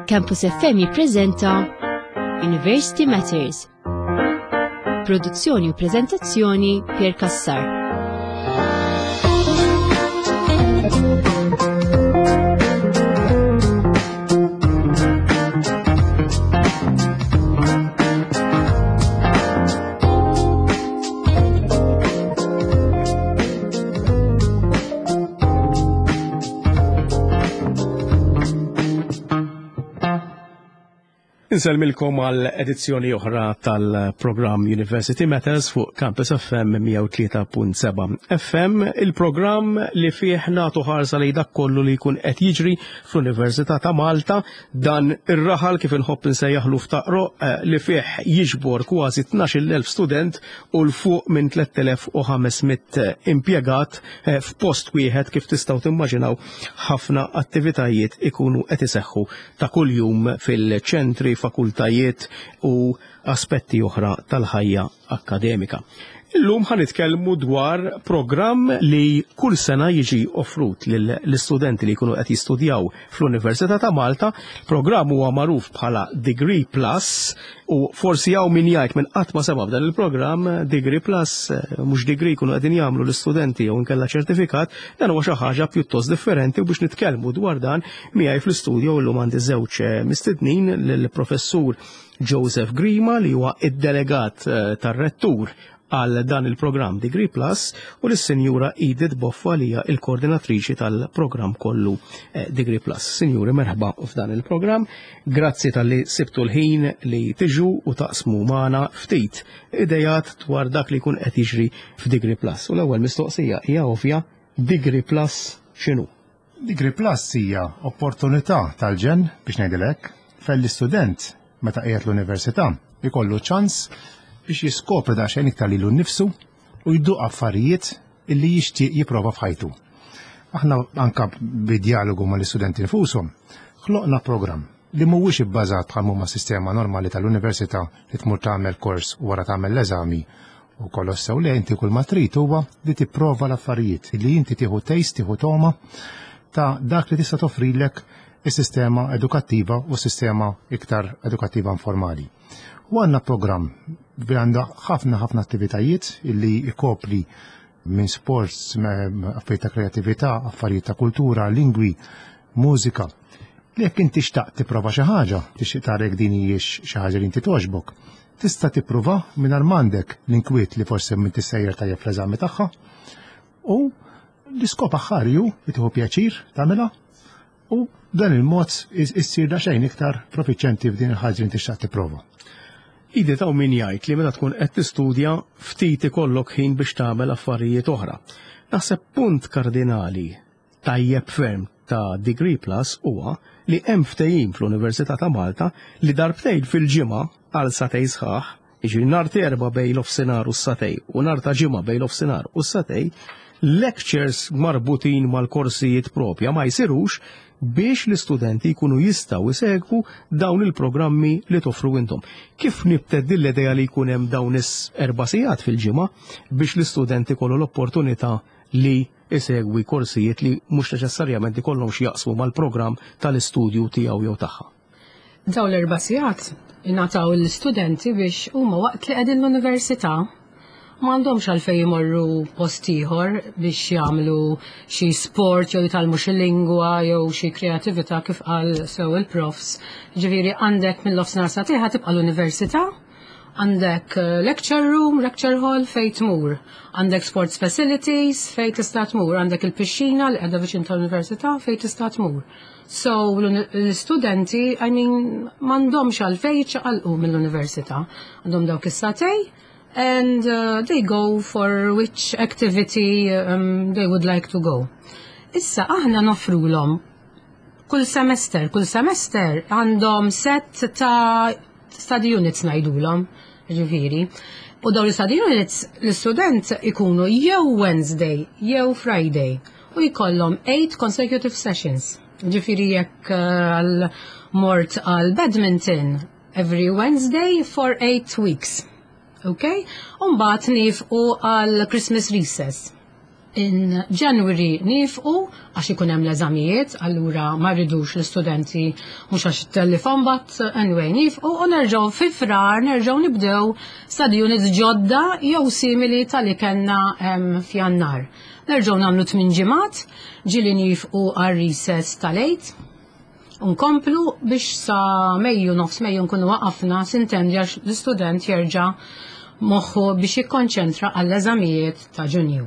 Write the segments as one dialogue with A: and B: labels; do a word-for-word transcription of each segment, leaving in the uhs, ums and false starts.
A: Campus F M jippreżenta University Matters. Produzzjoni u preżentazzjoni, Pier Cassar.
B: Insellmilkom għal edizzjoni oħra tal-programm University Matters fuq Campus F M mija u tlieta punt seba' F M, il-programm li fih nagħtu ħarsa li dak kollu li jkun qed jiġri fl-Università ta' Malta, dan ir-raħal, kif inħobb insejjaħlu f'taqro, eh, li fih jiġbor kważi tnax-il elf student u 'l fuq minn tliet elef u ħames mitt impjegat eh, f'post wieħed. Kif tistgħu timmaġinaw, ħafna attivitajiet ikunu qed iseħħu ta' kuljum fil-ċentri, fakultajiet u aspetti oħra tal-ħajja akademika. Illum ħa nitkellmu dwar programm li kull sena jiġi offrut lill-istudenti li jkunu qed jistudjaw fl-Università ta' Malta. Programm huwa magħruf bħala Degree Plus u forsi hawn min jgħid minn qatt ma sema b'dan il-programm Degree Plus, eh, mhux degree jkunu qegħdin jagħmlu l-istudenti jew inkella ċertifikat? Dan huwa xi ħaġa pjuttost differenti u biex nitkellmu dwar dan miegħi fl-istudjo llum għandi żewġ eh, mistednin, lill-professur Joseph Grima, li huwa id-delegat eh, tar-rettur għal dan il-programm Degree Plus, u l-Sinjura Edith Boffa, li hija il-koordinatriċi tal-programm kollu eh, Degree Plus. Sinjuri, merħba f'dan il-programm. Grazzi talli sibtu l-ħin li tiġu u taqsmu magħna ftit idejat dwar dak li jkun qed jiġri f'Degree Plus. U l-ewwel mistoqsija hija ovvja: Degree Plus x'inhu?
C: Degree Plus hija opportunità tal-ġenn, biex ngħidilek, fejn l-istudent meta qiegħed l-università ikollu ċans biex jiskopri daqsxejn iktar lilu nnifsu u jduq affarijiet illi jixtieq jipprova f'ħajtu. Aħna anka bid-dialogu mal-istudenti nfushom ħloqna programm li mhuwiex ibbażat bħal huma sistema normali tal-università li tmur tagħmel kors u wara tagħmel l-eżami u kollox sew. Le, inti kull ma trid huwa li tipprova l-affarijiet, li inti tieħu taste, tieħu toma ta' dak li tista' toffrilek is-sistema edukattiva u sistema iktar edukattiva informali. U għandna programm li għandha ħafna ħafna attivitajiet illi ikopri minn sports, affarijiet ta' kreatività, affarijiet ta' kultura, lingwi, mużika. Li jekk inti xtaqt tipprova xi ħaġa, tixtieq tara jekk din hijiex xi ħaġa li inti togħġbok, tista' tipprova mingħajr m'għandek l-inkwiet li forsi m'intix sejjer tajjeb fl-eżami tagħha. U l-iskop aħħari hu li tieħu pjaċir tagħmilha u dan il-mod issir daqsxejn iktar profiċjenti f'din il-ħaġa li inti xtaqt tipprova.
B: Idi, ta' min jgħid li meta tkun qed tistudja ftit ikollok ħin biex tagħmel affarijiet oħra. Naħseb punt kardinali tajjeb ferm ta' Degree Plus huwa li hemm ftehim fl-Università ta' Malta li darbtejn fil-ġimgħa għal sagħtejn sħaħ, jiġri nhar Erbgħa bejn l-offsinar u s-sagħtejn u nhar ta' Ġimgħa bejn l-offsinar u s-sagħtejn, lectures marbutin mal-korsijiet propja ma jsirux biex l-istudenti jkunu jistgħu jsegwu dawn il-programmi li toffru intom. Kif nibtet din l-idea li jkun hemm dawn is-erba' sigħat fil-ġimgħa biex l-istudenti kollu l-opportunità li isegwi korsijiet li mhux neċessarjament ikollhom x'jaqsmu mal-programm tal-istudju tiegħu jew tagħha?
D: Dawn l-erba' sigħat ingħataw l-istudenti biex huma waqt li qegħdin l-università m'għandhomx għalfejn jmorru post ieħor biex jagħmlu xi sport jew jitgħallmu xi lingwa jew xi kreatività, kif qal sew il-profs. Ġifieri għandek mill-nofsinhar sagħtejn tibqa' l-università, għandek eh, lecture room, lecture hall fejn tmur, għandek sports facilities fejn tista' tmur, għandek il-pixxina li qiegħda viċin tal-università fejn tista' tmur. So l-istudenti, I mean, m'għandhomx għalfejn ċaqalqu mill-università. Għandhom dawk is-sagħtejn and uh, they go for which activity um, they would like to go. Issa aħna noffrulhom kull semester, kull semester għandhom set ta' study units ngħidulhom, ġifieri. U dawn l-study units l-istudent ikunu jew Wednesday jew Friday u jkollhom eight consecutive sessions. Ġifieri jekk uh, għal mort għal badminton every Wednesday for eight weeks. Ok? Umbagħad nieqfu għal Christmas recess. In January nieqfu għax ikun hemm l-eżamijiet, allura ma rridux l-istudenti mhux għax it-telefon, but anyway nieqfu u nerġgħu fi Frar nerġgħu nibdew study units ġodda jew simili tal-li kellna f'Jannar. Nerġgħu nagħmlu tmien ġimgħat, ġieli nieqfu għal recess tal-Għid. Nkomplu biex sa Mejju, nofs Mejju nkunu waqafna, s'intendi, għax l-istudent jerġa' moħħu biex jikkonċentra għall-eżamijiet ta' Ġunju.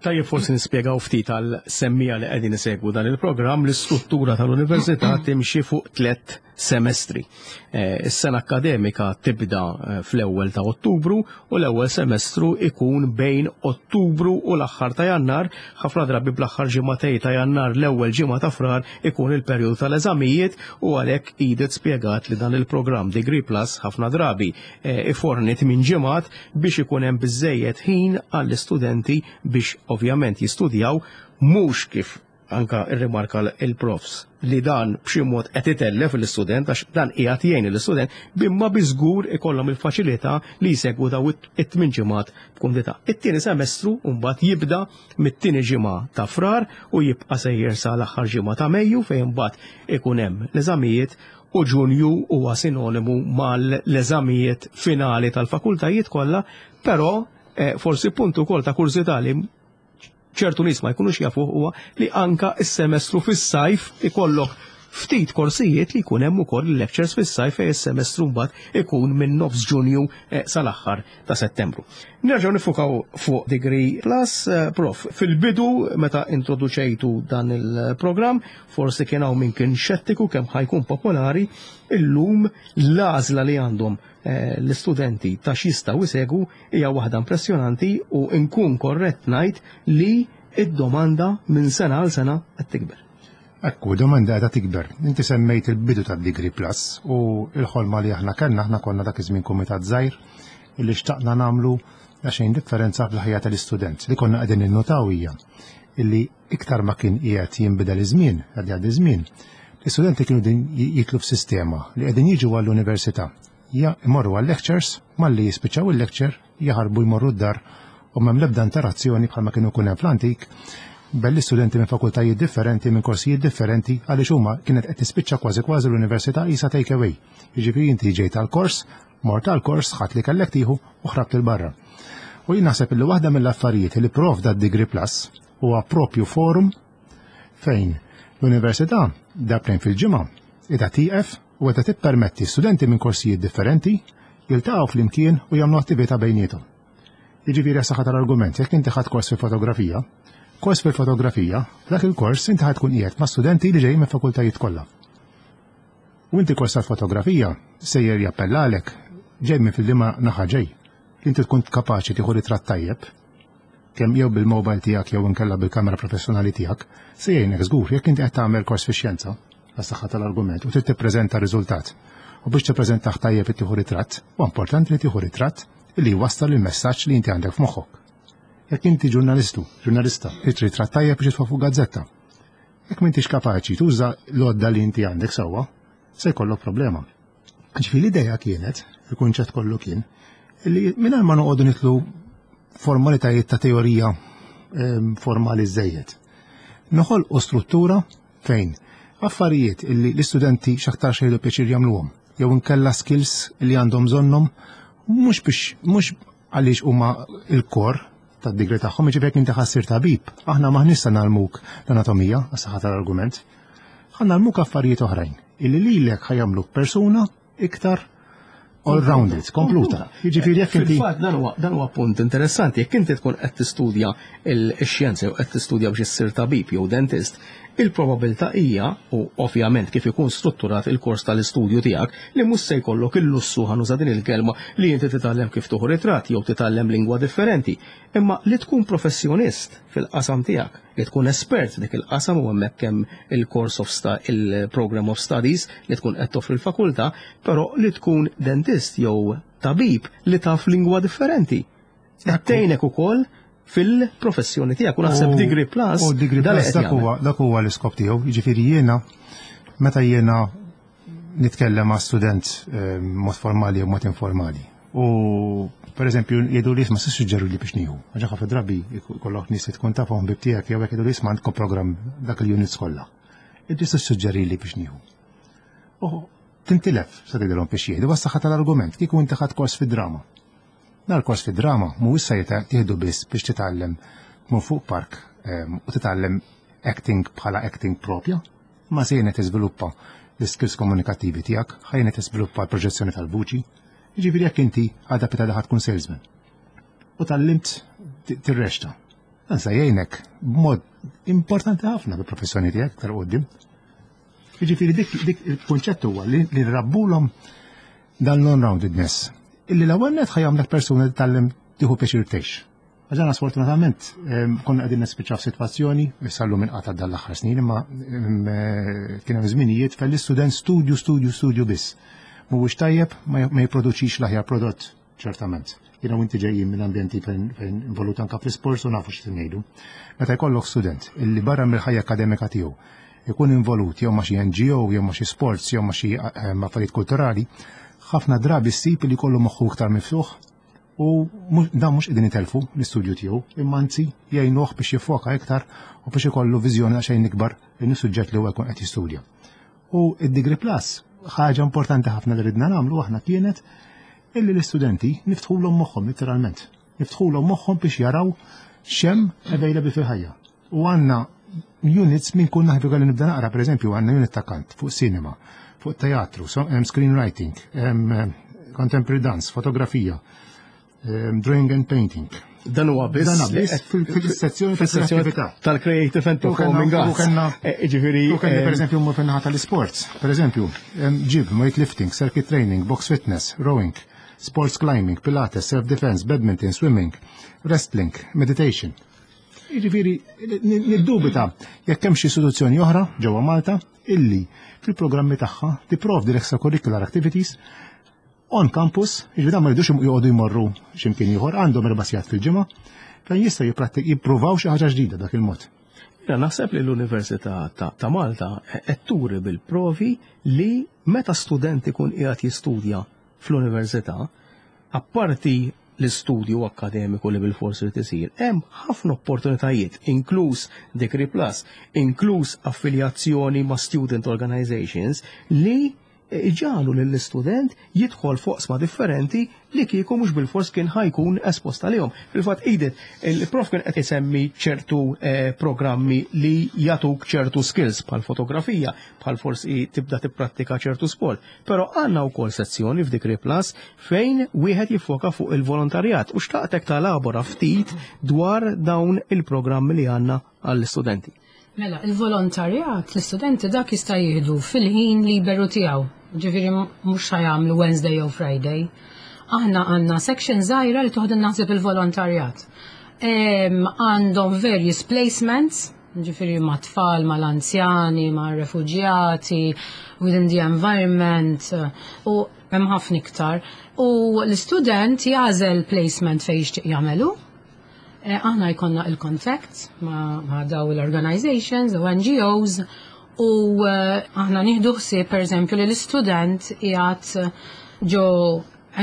B: Tajjeb forsi nispjegaw ftit għal-semmiegħa li qegħdin isegwu dan il-programm, l-istruttura tal-università timxi fuq tliet semestri. Eh, is-sena akademika tibda eh, fl-ewwel ta' Ottubru u l-ewwel semestru ikun bejn Ottubru u l-aħħar ta' Jannar, ħafna drabi bl-aħħar ġimagħtejn ta' Jannar, l-ewwel ġimgħa ta' Frar ikun il-perjodu tal-eżamijiet, u għalhekk Edith spjegat li dan il-programm Degree Plus ħafna drabi eh, iforni tmien ġimgħat biex ikun hemm biżejjed ħin għall-istudenti biex ovvjament jistudjaw, mhux kif anka irrimarka il-profs li dan b'xi mod qed itellef l-istudent, għax dan qiegħed jgħin l-istudent bimma biżgur ikollhom il-faċilità li jsegwu daw it-tmien ġimgħat b'kumdità. It-tieni semestru mbagħad jibda mit-tieni ġimgħa ta' Frar u jibqa' sejjer sa l-aħħar ġimgħa ta' Mejju, fejn mbagħad ikun hemm l-eżamijiet, u Ġunju huwa sinonimu mal-eżamijiet finali tal-fakultajiet kollha, però eh, forsi puntu ukoll ta' kurżità li ċertu nies ma jkunux jafu huwa li anka is-semestru fis-sajf ikollok ftit korsijiet li jkun hemm ukoll lectures fis-sajf, fejn is-semestru mbagħad ikun minn nofs Ġunju eh, sal-aħħar ta' Settembru. Nerġgħu nifukaw fuq Degree Plus, eh, prof. Fil-bidu, meta introduċejtu dan il-programm, forsi kien hawn min kien xettiku kemm ħa jkun popolari. Illum l-għażla li għandhom eh, l-istudenti ta' x'jistgħu jsegwu hija waħda impressjonanti u nkun korrett ngħid li id-domanda minn sena għal sena qed tikber.
C: Ekku, domanda qiegħda tikber. Inti semmejt il-bidu tad-Degree Plus u il-ħolma li aħna kellna, aħna konna dak iż-żmien kumitat żgħir illi xtaqna nagħmlu xejn differenza fil-ħajja tal-istudent. Li konna qegħdin innotaw hija illi iktar ma kien qiegħed jinbidel iż-żmien, qed jgħaddi żmien, l-istudenti kienu din jidħlu f'sistema li qegħdin jiġu għall-università. Ja imorru għall-lectures, malli jispiċċaw il-lecture, jaħarbu jmorru d-dar u m'hemm l-ebda interazzjoni bħalma kienu jkun hemm fl-antik bejn l-istudenti minn fakultajiet differenti, minn korsijiet differenti, għaliex huma kienet qed tispiċċa kważi kważi l-università qisha take away. Jiġifieri inti ġejt tal-kors, mort tal-kors, ħadt li kellek tieħu u ħrabt 'il barra. U jien naħseb li waħda mill-affarijiet li provda d-Degree Plus huwa propju forum fejn l-università darbtejn fil-ġimgħa qiegħda tieqef u qiegħda tippermetti studenti minn korsijiet differenti jiltaqgħu flimkien u jagħmlu attività bejniethom. Jiġifieri, saħħa tal-argument, jekk inti ħadt kors fil-fotografija, kors fil-fotografija, dak il-kors inti ħa tkun qiegħed ma' studenti li ġejjin minn fakultajiet kollha. U inti kors tal-fotografija sejjer jappellalek ġej minn fil-liema naħa ġej. Inti tkun kapaċi tieħu ritratt tajjeb, kemm jew bil-mobile tiegħek jew inkella bil-kamera professjonali tiegħek, se jgħinek żgur jekk inti qed tagħmel kors fix-xjenza, għas-saħħa tal-argument, u trid tippreżenta riżultat. U biex tippreżentah tajjeb tieħu ritratt, u importanti li tieħu ritratt li jwassal il-messaġġ li inti għandek f'moħħok. Jekk inti ġurnalistu, ġurnalista, trid ritratt tajjeb biex jitfa' fuq gazzetta. Jekk m'intix kapaċi tuża l-għodda li inti għandek sewwa, se jkollok problema. Ġifieri l-idea kienet, il-kunċett kollu kien, li mingħajr ma noqogħdu nidħlu formalitajiet ta' teorija ehm, formali żejjed. Noħolqu struttura fejn affarijiet illi l-istudenti x'aktar jieħdu pjaċir jagħmluhom, jew inkella skills li għandhom bżonnhom mhux biex mhux għaliex huma il-core tad-degree tagħhom, jiġifieri jekk inti ħa ssir tabib, aħna m'aħniex se ngħallmuk l-anatomija, għas-saħħa tal-argument. Ħa ngħallmuk affarijiet oħrajn illi lilek ħa jagħmluk persuna iktar all-rounded, kompluta. Jiġifieri jekk inti
B: Fil-fatt dan huwa dan huwa punt interessanti, jekk inti tkun qed tistudja l-xjenza jew qed tistudja biex issir tabib jew dentist, il-probabilità hija, u ovvjament kif ikun strutturat il-kors tal-istudju tiegħek, li mhux se jkollok il-lussu, ħa nuża din il-kelma, li inti titgħallem kif tieħu ritratt jew titgħallem lingwa differenti. Imma li tkun professjonist fil-qasam tiegħek, li tkun espert dik il-qasam, u hemmhekk hemm il-course of sta il-program of studies li tkun qed toffri l-fakultà, però li tkun dentist jew tabib li taf lingwa differenti qed tgħinek ukoll fil-professjoni tiegħek, u naħseb Degree Plus
C: U Degree
B: dan
C: Plus
B: qed
C: dak
B: jagħmel.
C: huwa dak huwa l-iskop tiegħu. Jiġifieri jiena meta jiena nitkellem ma' student eh, mod formali u mod informali. U Per eżempju, jgħidu li isma' suġġeru li biex nieħu. Għax ħafna drabi jkollok nies li tkun tafhom ħbieb tiegħek jew hekk jgħidu li isma' għandkom programm dak il-units kollha. Inti suġġeri li biex nieħu. U tintilef sa tgħidilhom biex jieħdu bas-saħħa tal-argument kieku inti ħadt kors fid-drama. Nar kors fid-drama mhuwiex se tieħdu biss biex titgħallem tmur fuq park ehm, u titgħallem acting bħala acting propja, ma se jgħinek tiżviluppa l-skills komunikattivi tiegħek, ħa jgħinek tiżviluppa l-proġezzjoni tal-vuċi. Jiġifieri jekk inti għadha pitgħada ħa tkun salesman. U tgħallimt tirreċta. Dan se jgħinek b'mod importanti ħafna bil-professjoni tiegħek iktar quddiem. Jiġifieri dik dik il-kunċett huwa li li nrabbulhom dan l-all-roundedness. Illi l-ewwel nett ħa jagħmlek persuna li tgħallem tieħu pjaċir tgħix. Għax aħna sfortunatament em, konna qegħdin nispiċċaw f'sitwazzjoni, issa llum inqata' dan l-aħħar snin, imma em, eh, kien hemm żminijiet fejn l-istudent studju, studju, studju biss. Mhuwiex tajjeb ma ma jipproduċix l-aħjar prodott, ċertament. Jiena u inti ġejjin minn ambjenti fejn fejn involut anka fl-isports u nafu x'qed ngħidu. Meta jkollok student illi barra mill-ħajja akademika tiegħu ikun involut jew ma' xi N G O jew ma' xi sports jew ma' xi eh, affarijiet kulturali, ħafna drabi ssib li jkollu moħħu iktar miftuħ u mhux- dan mhux qegħdin itelfu l-istudju tiegħu, imma anzi jgħinuh biex jiffoka iktar u biex ikollu viżjoni xejn ikbar lejn is-suġġett li huwa jkun qed jistudja. U id-Degree Plus, ħaġa importanti ħafna li ridna nagħmlu aħna kienet illi l-istudenti niftħulhom moħħhom literalment. Niftħulhom moħħhom biex jaraw x'hemm available fil-ħajja. U għandna units minn kull naħbi li nibda naqra, per eżempju, għandna unit ta' kant fuq cinema, fuq teatru, so, hemm screenwriting, hemm eh, contemporary dance, fotografija, em, drawing and painting.
B: Dan huwa biss
C: Dan biss fil- fil-sezzjoni
B: fil-sezzjoni
C: tal-kreatività.
B: Tal-Creative and Performing
C: U
B: Arts.
C: kellna-
B: Eh, Ġifieri,
C: U kellna
B: eh,
C: per eżempju mmur fin-naħa tal-sports, per eżempju, em, gym, weightlifting, circuit training, box fitness, rowing, sports climbing, pilates, self-defense, badminton, swimming, wrestling, meditation. Jiġifieri niddubita jekk hemm xi istituzzjoni oħra ġewwa Malta illi fil-programmi tagħha tipprovdi l-extracurricular activities on campus, jiġifieri dan ma jridux joqogħdu jmorru x'imkien ieħor, għandhom erba' sigħat fil-ġimgħa fejn jistgħu jipprattik jippruvaw xi ħaġa ġdida dak il-mod.
B: Jiena naħseb li l-Università ta' ta' Malta qed turi bil-provi li meta student ikun qiegħed jistudja fl-università, apparti l-istudju akademiku li bil-forsi li tisir, hemm ħafna opportunitajiet, inkluż Degree Plus, inkluż affiljazzjoni ma' student organizations li iġagħlu lill-istudent jidħol f'oqsma differenti li kieku mhux bil-fors kien ħa jkun espost għalihom. Fil-fatt Edith, il-prof kien qed isemmi ċertu eh, programmi li jagħtuk ċertu skills bħal fotografija, bħal forsi tibda tipprattika ċertu sport. Però għandna wkoll sezzjoni f'Degree Plus fejn wieħed jiffoka fuq il-volontarjat u xtaqtek talabora ftit dwar dawn il-programmi li għandna għall-istudenti.
D: Mela, il-volontarjat, l-istudenti dak jista' jieħdu fil-ħin liberu tiegħu. Ġifieri mhux ħa jagħmlu Wednesday jew Friday. Aħna għandna section żgħira li toħdu naħseb il-volontarjat. Em, Għandhom various placements, ġifieri ma' tfal, ma' l-anzjani, ma' refugjati, within the environment, u hemm ħafna iktar. U l-istudent jagħżel placement fejn jixtieq jagħmelu. Eh, Aħna jkollna il-contact ma', ma daw l-organizations u N G Os u eh, aħna nieħdu ħsieb, per eżempju, li l-istudent qiegħed ġo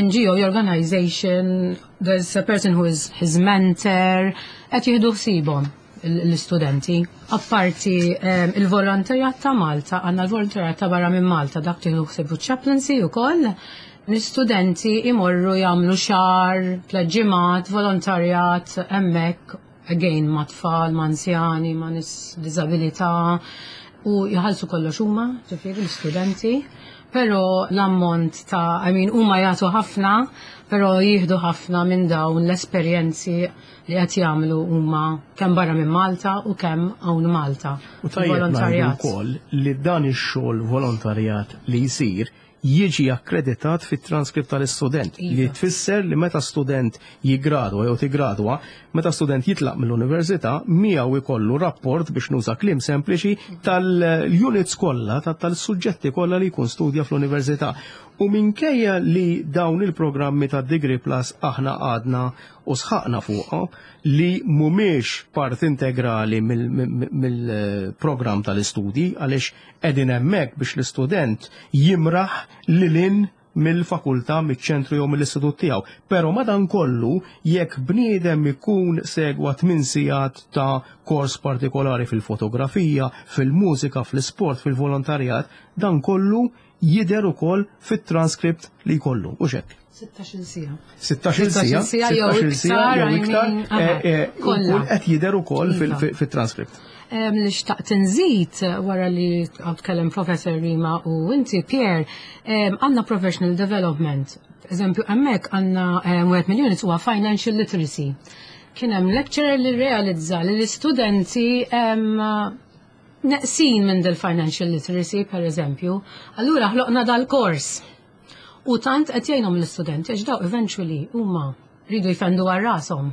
D: N G O organization, there's a person who is his mentor, qed jieħdu ħsiebhom l-istudenti. Apparti eh, il-volontarjat ta' Malta, għandna l-volontarjat ta' barra minn Malta, dak tieħdu ħsiebu chaplaincy ukoll. L-istudenti imorru jagħmlu xahar, tliet ġimgħat, volontarjat hemmhekk, again ma' tfal, ma' anzjani, ma' nies b'diżabilità u jħallsu kollox huma, ġifieri l-istudenti, però l-ammont ta' I mean, huma jagħtu ħafna, però jieħdu ħafna minn dawn l-esperjenzi li qed jagħmlu huma kemm barra minn Malta u kemm hawn Malta.
B: U tajjeb ngħidu
D: Volontarjat.
B: Wkoll li dan ix-xogħol volontarjat li jsir jiġi akkreditat fit-transkript tal-istudent li
D: Iva.
B: tfisser li meta student jigradwa jew tigradwa, meta student jitlaq mill-università, miegħu jkollu rapport, biex nuża kliem sempliċi, tal-units kollha, ta- tal-suġġetti kollha li jkun studja fl-università. U minkejja li dawn il-programmi ta' Degree Plus aħna għadna u sħaqna fuqha li mhumiex part integrali mill-programm tal-istudji għaliex qegħdin hemmhekk biex l-istudent jimraħ lil hinn Mill-fakultà, miċ-ċentru jew mill-istitut tiegħu. Però madankollu, jekk bniedem ikun segwa tmien sigħat ta' kors partikolari fil-fotografija, fil-mużika, fl-isport, fil-volontarjat, dan kollu jidher ukoll fit-transkript li jkollu. U hekk.
D: sittax-il siegħa.
B: sittax-il siegħa,
D: siegħa jew
B: iktar, jew iktar,
D: kollha.
B: Qed jidher ukoll fit-transkript.
D: Li xtaqt nżid wara li tkellem Professor Rima u inti, Pierre, għandna professional development. Eżempju, hemmhekk għandna wieħed mill-units huwa financial literacy. Kien hemm lecturer li realizza li l-istudenti neqsin minn del-financial literacy, per eżempju. Allura ħloqna dal-kors. U tant qed jgħinhom l-istudenti għax daw eventually huma rridu jfendu għal rashom.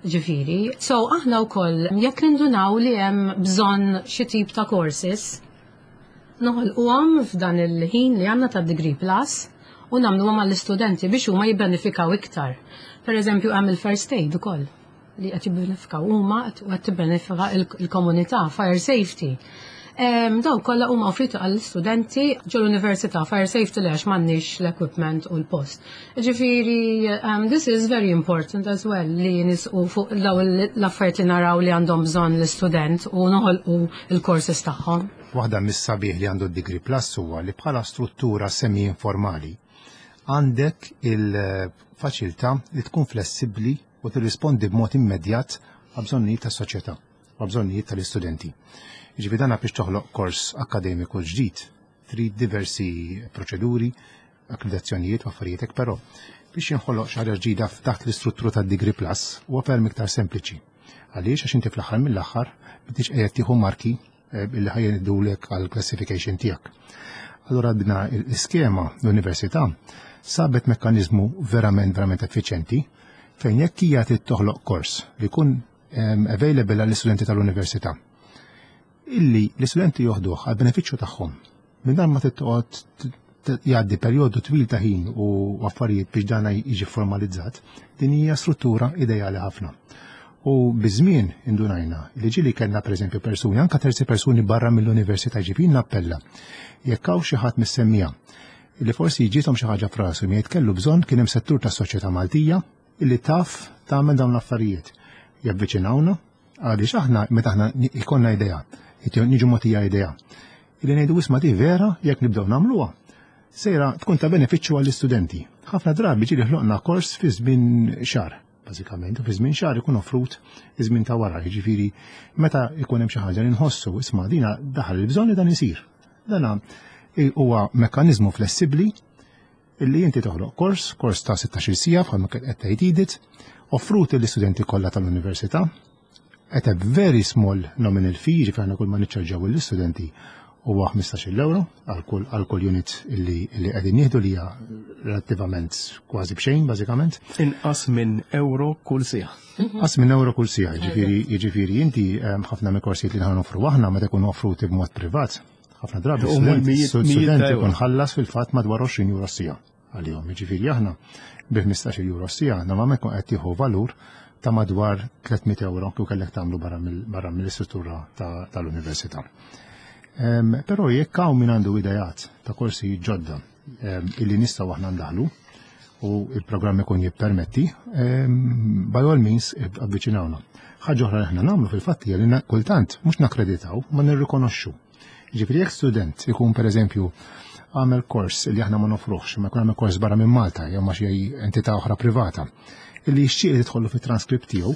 D: Ġifieri, so aħna wkoll jekk nindunaw li hemm bżonn xi tip ta' courses, noħolquhom f'dan il-ħin li għandna ta' Degree Plus u nagħmluhom għall-istudenti biex huma jibbenefikaw iktar. Per eżempju, hemm il-first aid ukoll li qed jibbenefikaw huma u qed tibbenefika il-komunità, fire safety. Daw kollha huma offriti għall-istudenti ġol-università. Fire safety li għax m'għandniex l-equipment u l-post. Ġifieri, um, this is very important as well li nisqu fuq daw l-affarijiet li naraw li għandhom bżonn l-istudent u noħolqu il-courses tagħhom.
C: Waħda mis-sabiħ li għandu d-Degree Plus huwa li bħala struttura semi-informali għandek il-faċilità li tkun flessibbli u tirrispondi b'mod immedjat għal bżonnijiet tas-soċjetà, għal bżonnijiet tal-istudenti. Ġifieri dana biex toħloq kors akademiku ġdid, trid diversi proċeduri, akkreditazzjonijiet u affarijiet, però biex jinħoloq xi ħaġa ġdida taħt l-istruttura tad-Degree Plus huwa ferm iktar sempliċi. Għaliex? Għax inti fl-aħħar mill-aħħar m'intix qiegħed tieħu marki eh, illi ħa jgħidulek għal classification tiegħek. Allora bina l-iskema l-università sabet mekkanizmu verament verament effiċenti fejn jekk hija trid toħloq kors li jkun available għall-istudenti tal-università illi l-istudenti joħduh għal benefiċċju tagħhom. Minn dan ma tittoqgħod jgħaddi perjodu twil ta' ħin u affarijiet biex dana jiġi formalizzat, din hija struttura ideali ħafna. U biż-żmien indunajna li ġili kellna, pereżempju, persuni, anka terzi persuni barra mill-università, ġifieri nappella. Jekk hawn xi ħadd mis-semmiegħa li forsi ġiethom xi ħaġa f'rasu mi kellu bżonn, kien hemm settur tas-soċjetà Maltija illi taf tagħmel dawn l-affarijiet. Javviċinawna għaliex aħna meta aħna ikollna idea, niġu mogħtija idea, illi ngħidu, "Isma', di vera jekk nibdew nagħmluha sejra tkun ta' benefiċċju għall-istudenti." Ħafna drabi ġieli ħloqna kors fi żmien xahar, bażikament, u fi żmien xahar ikun offrut iż-żmien ta' wara, jiġifieri meta ikun hemm xi ħaġa li nħossu, isma', dina daħal il-bżonn li dan isir. Dana huwa mekkaniżmu flessibbli illi inti toħloq kors, kors ta' sittax-il siegħa bħalma qed tgħid Edith, offrut l-istudenti kollha tal-università at a very small nominal fee, ġifieri aħna kull ma niċċarġaw l-istudenti huwa ħmistax-il euro għal kull unit illi qegħdin nieħdu, li hija relattivament kważi b'xejn bażikament.
B: Inqas minn euro kull siegħa.
C: Inqas minn euro kull siegħa, ġifieri jiġifieri inti ħafna mill-korsijiet li noffru aħna meta jkunu offruti b'mod privat, ħafna drabi student ikun ħallas fil-fatt madwar għoxrin euro siegħa għalihom. Jiġifieri aħna bi ħmistax-il euro siegħa normalment kun qed tieħu valur ta' madwar tliet mitt euro kif kellek tagħmlu barra mill-istruttura tal-università. Però jekk hawn min għandu idejat ta' korsi ġodda illi nistgħu aħna ndaħlu u il-programm ikun jippermetti, by all means avviċinawna. Ħaġa oħra li aħna nagħmlu fil-fatt hija li kultant mhux nakkreditaw ma nirrikonoxxu. Ġifieri jekk student ikun, pereżempju, għamel kors li aħna ma nofruħx, ma jkun għamel kors barra minn Malta jew ma xi entità oħra privata, illi jixtieq li tidħollu fit-transkript tiegħu,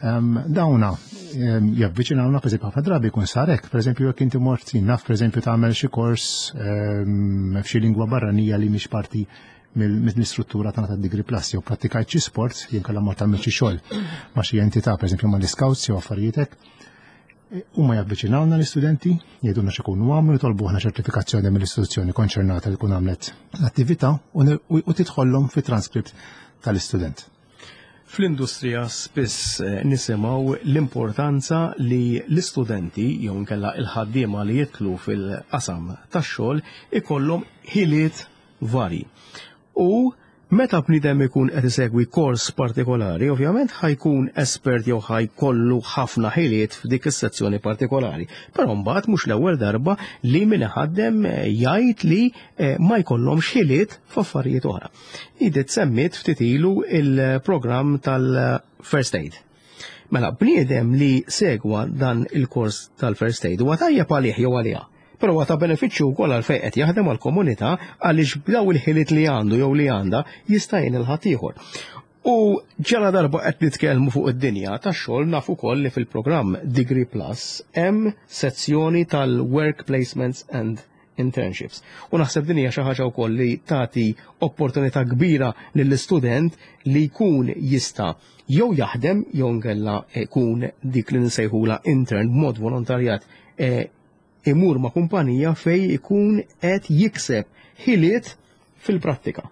C: dawna javviċinawna, per eżempju, ħafna drabi jkun sarek, per eżempju, jekk inti mort, naf, per eżempju, tagħmel xi kors f'xi lingwa barranija li mhix parti mill-istruttura tagħna tad-Degree Plus, jew prattikajt xi sport, jew kellha mort tagħmel xi xogħol ma' xi entità, per eżempju mal-scouts jew affarijiet. Huma javviċinawna l-istudenti, jgħidulna x'ikunu għamlu, jitolbu aħna ċertifikazzjoni mill-istituzzjoni konċernata li tkun għamlet l-attività u tidħollhom fi transkript tal-istudent.
B: Fl-industrija spiss eh, nisimgħu l-importanza li l-istudenti jew nkella il-ħaddiema li jidħlu fil-qasam tax-xogħol ikollhom ħiliet varji. U Meta bniedem ikun qed isegwi kors partikolari, ovvjament ħa jkun espert jew ħa jkollu ħafna ħiliet f'dik is-sezzjoni partikolari. Però mbagħad mhux l-ewwel darba li min iħaddem eh, jgħid li eh, ma jkollhomx ħiliet f'affarijiet oħra. Edith semmiet ftit ilu il-programm tal-First Aid. Mela, bniedem li segwa dan il-kors tal-First Aid huwa tajjeb għalih jew għaliha. Però huwa ta' benefiċċju wkoll għal fejn qed jaħdem għall-komunità, għaliex b'daw il-ħiliet li għandu jew li għandha jista' jgħin il-ħaddieħor. U ġala darba qed nitkellmu fuq id-dinja tax-xogħol, naf ukoll li fil-programm Degree Plus hemm sezzjoni tal-work placements and internships. U naħseb din hija xi ħaġa wkoll li tagħti opportunità kbira lill-istudent li jkun jista' jew jaħdem jew nkella jkun dik li nsejħula intern b'mod volontarjat, eh, imur ma' kumpanija fej ikun qed jikseb ħiliet fil-prattika.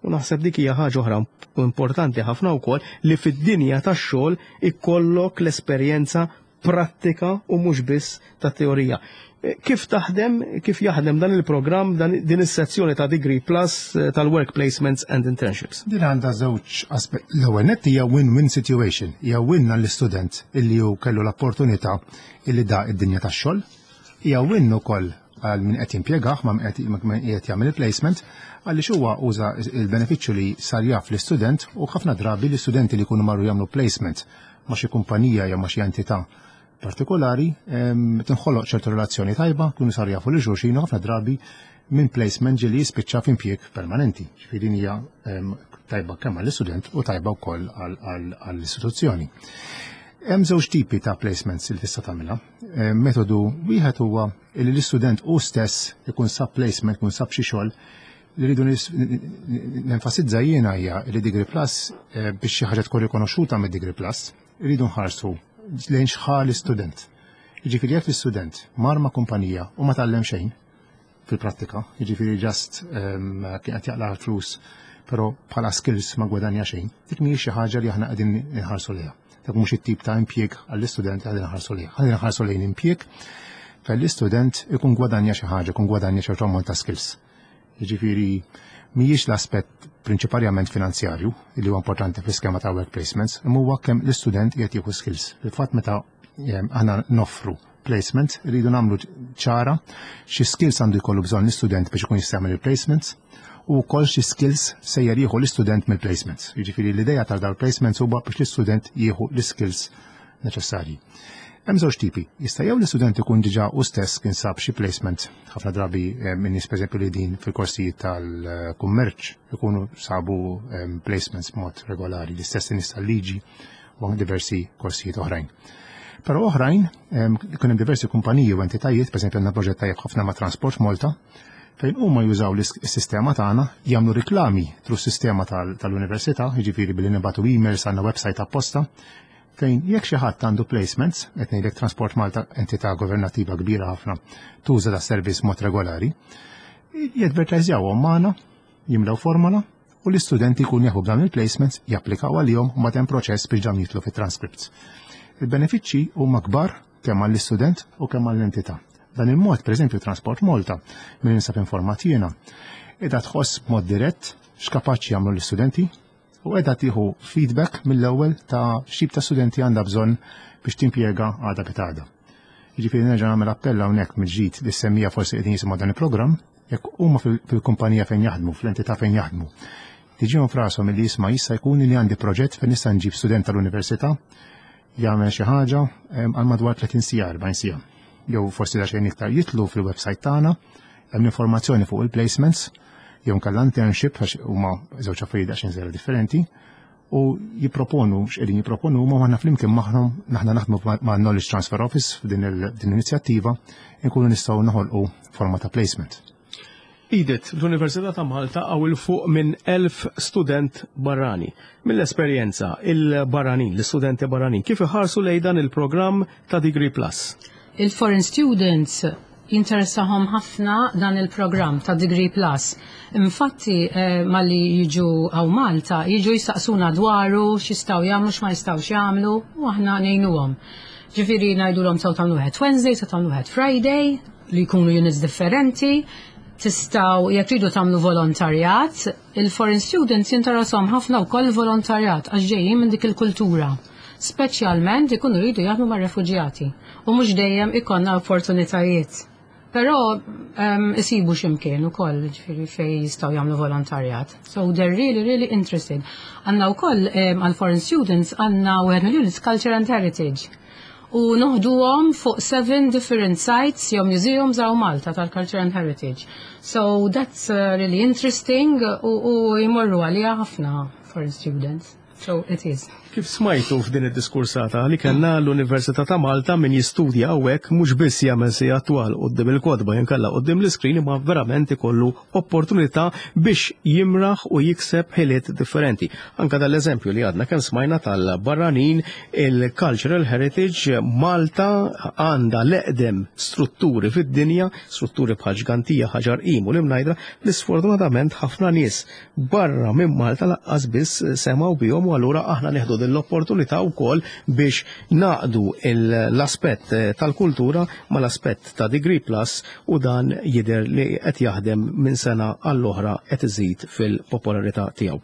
B: U naħseb dik hija ħaġa oħra importanti ħafna wkoll, li fid-dinja tax-xogħol ikollok l-esperjenza prattika u mhux biss ta' teorija. Eh, Kif taħdem, kif jaħdem dan il-programm, dan din is-sezzjoni ta' Degree Plus eh, tal-work placements and internships?
C: Din għandha żewġ aspett. L-ewwel nett hija win-win situation. Hija win għall-istudent illi hu kellu l-opportunità illi daq id-dinja tax-xogħol. Hija win ukoll għal min qed jimpjegah, ma' min qed min qed jagħmel il-placement, għaliex huwa uża il-benefiċċju li sar jaf l-istudent. U ħafna drabi l-istudenti li jkunu marru jagħmlu placement ma' xi kumpanija jew ma' xi entità partikolari em, tinħoloq ċertu relazzjoni tajba, kunu sar jafu lil xulxin u ħafna drabi minn placement ġieli jispiċċa f'impjieg permanenti. Ġifieri din hija em, tajba kemm għall-istudent u tajba wkoll għall-istituzzjoni. Hemm żewġ tipi ta' placements li tista' tagħmilha. Eh, Metodu wieħed huwa li l-istudent hu stess ikun sab placement, ikun sab xi xogħol. Li rridu nis- nenfasizza jiena hija li Degree Plus, eh, biex xi ħaġa tkun rikonoxxuta mid-Degree Plus, rridu nħarsu lejn x'ħa l-istudent. Jiġifieri jekk l-istudent mar ma' kumpanija u ma tgħallem xejn fil-prattika, jiġifieri just um, kien qed jaqla' flus, però bħala skills ma gwadanja xejn, dik mhijiex xi ħaġa li aħna qegħdin inħarsu lejha. Dak mhux it-tip ta' impjieg għall-istudent li qegħdin inħarsu lejha. Qegħdin inħarsu lejn impjieg fejn l-istudent ikun gwadanja xi ħaġa, ikun gwadanja ċertu ammont ta' skills. Jiġifieri mhijiex l-aspett prinċipalment finanzjarju li huwa importanti fl-iskema ta' work placements, imma huwa kemm l-istudent qed jieħu skills. Fil-fatt, meta em, aħna noffru placement, rridu nagħmlu ċara xi skills għandu jkollu bżonn l-istudent biex ikun jista' jagħmel il-placements u wkoll xi skills sejjer jieħu l-istudent mill-placements. Jiġifieri l-idea tal dawn placements huwa biex l-istudent jieħu l-skills neċessarji. Hemm żewġ tipi. Jista' jew l-istudent ikun diġà u stess kien sab xi placement, ħafna drabi eh, minn nies, pereżempju, li din fil-korsijiet tal-kummerċ ikunu sabu eh, placements b'mod regolari, l-istess nies tal-liġi u anke diversi korsijiet oħrajn. Però oħrajn, ikun hemm diversi kumpaniji u entitajiet, pereżempju għandna proġett tajjeb ħafna ma' Transport Malta, fejn huma jużaw l-sistema tagħna, jagħmlu riklami through sistema tal-università, jiġifieri billi nibagħtu emails, għandna website apposta, fejn jekk xi ħadd għandu placements, qed ngħidlek Transport Malta, entità governattiva kbira ħafna, tuża da servizz mod regolari, jadvertajżjawhom magħna, jimlew formola u l-istudenti jkun jafu b'dawn il-placements, japplikaw għalihom u hemm proċess biex dawn jidħlu fit-transcripts. Il-benefiċċji huma kbar kemm għall-istudent u kemm għall-entità. Dan il-mod, per eżempju, Transport Malta, minn ninsab informat jiena, qiegħda tħoss b'mod dirett x'kapaċi jagħmlu l-istudenti u qiegħda tieħu feedback mill-ewwel ta' x'tip ta' studenti għandha bżonn biex timpjega għada pitgħada. Jiġifieri nerġa' nagħmel appell hawnhekk mill-ġdid li semmija forsi qegħdin jisimgħu dan il-programm, jekk huma fil-kumpanija fejn jaħdmu, fl-entità fejn jaħdmu, tiġihom f'rashom li jisma' jista' jkun li għandi proġett fejn nista' nġib student tal-università jagħmel xi ħaġa għal madwar tletin siegħa, erbgħin siegħa. Jew forsi xejn iktar, jitilgħu fil-website tagħna, hemm informazzjoni fuq il-placements jew nkella internship, għax huma żewġ affarijiet daqsxejn żgħira differenti, u jipproponu x'qegħdin jipproponu huma, aħna flimkien magħhom, naħna naħdmu ma' Knowledge Transfer Office f'din l-inizjattiva, nkunu nistgħu noħolqu forma ta' placement.
B: Edith, l-Università ta' Malta hawn 'il fuq minn elf student barrani. Mill-esperjenza, il-barranin, l-istudenti barranin, kif iħarsu lejn dan il-programm ta' Degree Plus?
D: Il-foreign students jinteressahom ħafna dan il-programm ta' Degree Plus. Infatti, eh, malli jiġu hawn Malta, jiġu jistaqsuna dwaru, x'jistgħu jagħmlu, x'ma jistgħux jagħmlu, u aħna ngħinuhom. Ġifieri ngħidulhom tistgħu tagħmlu wieħed Wednesday, tistgħu tagħmlu wieħed Friday, li jkunu units differenti. Tistgħu, jekk tridu tagħmlu volontarjat, il-foreign students jinteressahom ħafna wkoll volontarjat għax ġejjin minn dik il-kultura. Speċjalment ikunu jridu jaħdmu mar-refuġjati u mhux dejjem ikollna opportunitajiet. Però um, isibu x'imkien ukoll, ġifieri, fejn jistgħu jagħmlu volontarjat. So they're really, really interested. Għandna wkoll um, għal foreign students għandna wieħed mill-units Culture and Heritage. U noħduhom fuq seven different sites jew museums hawn Malta tal-Culture and Heritage. So that's uh, really interesting u, u jmorru għalija ħafna foreign students. So it is.
B: Kif smajtu f'din id-diskursata li kellna, l-Università ta' Malta, min jistudja hawnhekk mhux biss jagħmel sigħat twal quddiem il-kotba jinkella quddiem l-iskrin, imma verament ikollu opportunità biex jimraħ u jikseb ħiliet differenti. Anka dal-eżempju li għadna kemm smajna tal-barranin, il-Cultural Heritage, Malta għandha l-eqdem strutturi fid-dinja, strutturi bħal Ġgantija, Ħaġar Qim u l-Imnajdra, li sfortunatament ħafna nies barra minn Malta lanqas biss semgħu bihom, u allura aħna nieħdu din l-opportunità wkoll biex naqdu l-aspett tal-kultura mal-aspett ta' Degree Plus, u dan jidher li qed jaħdem, minn sena għall-oħra qed iżid fil-popolarità tiegħu.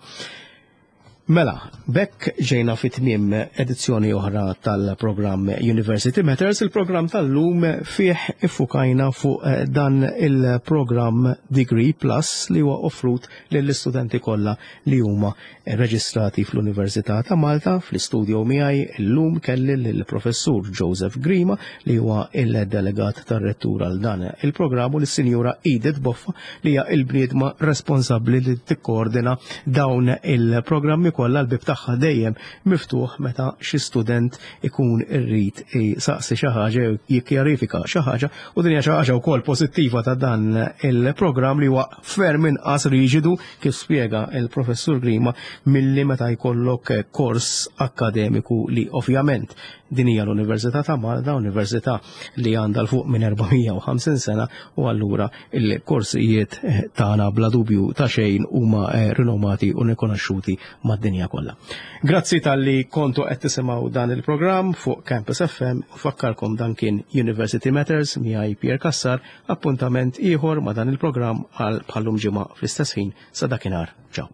B: Mela, b'hekk ġejna fi tmiem edizzjoni oħra tal-programm University Matters. Il-programm tal-lum fih iffukajna fuq eh, dan il-programm Degree Plus li huwa offrut lill-istudenti kollha li huma reġistrati fl-Università ta' Malta. Fl-istudio miegħi llum kelli lill-Professur Joseph Grima, li huwa il-delegat tar-rettur għal dan il-programm, u lis-Sinjura Edith Boffa, li hija il-bniedma responsabbli li tikkoordina dawn il-programmi kollha. L-bib tagħha dejjem miftuħ meta xi student ikun irrid saqsi xi ħaġa jew jikkjarifika xi ħaġa, u din hija xi ħaġa wkoll pożittiva ta' dan il-programm, li huwa ferm inqas riġidu, kif spjega il-Professur Grima, milli meta jkollok kors akkademiku, li ovvjament din hija l-Università ta' Malta, università li għandha 'l fuq minn erba' mija u ħamsin sena, u allura il-korsijiet tagħna bla dubju ta' xejn huma eh, rinomati u rikonoxxuti mad-dinja kollha. Grazzi talli kontu qed tisimgħu dan il-programm fuq Campus F M. Fakkarkom, dan kien University Matters miegħi Pierre Cassar. Appuntament ieħor ma' dan il-programm għal bħal-lum ġimgħa fl-istess ħin. Sa dakinhar. Ciao.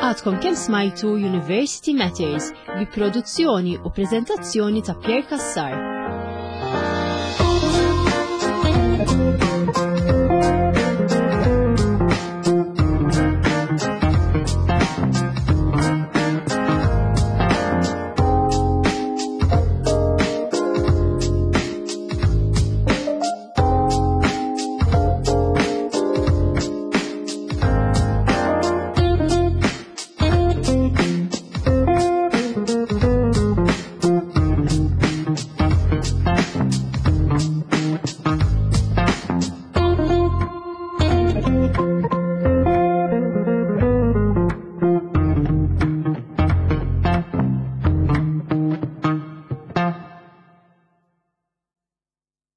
A: Għadkom kemm smajtu University Matters bi produzzjoni u prezentazzjoni ta' Pierre Cassar.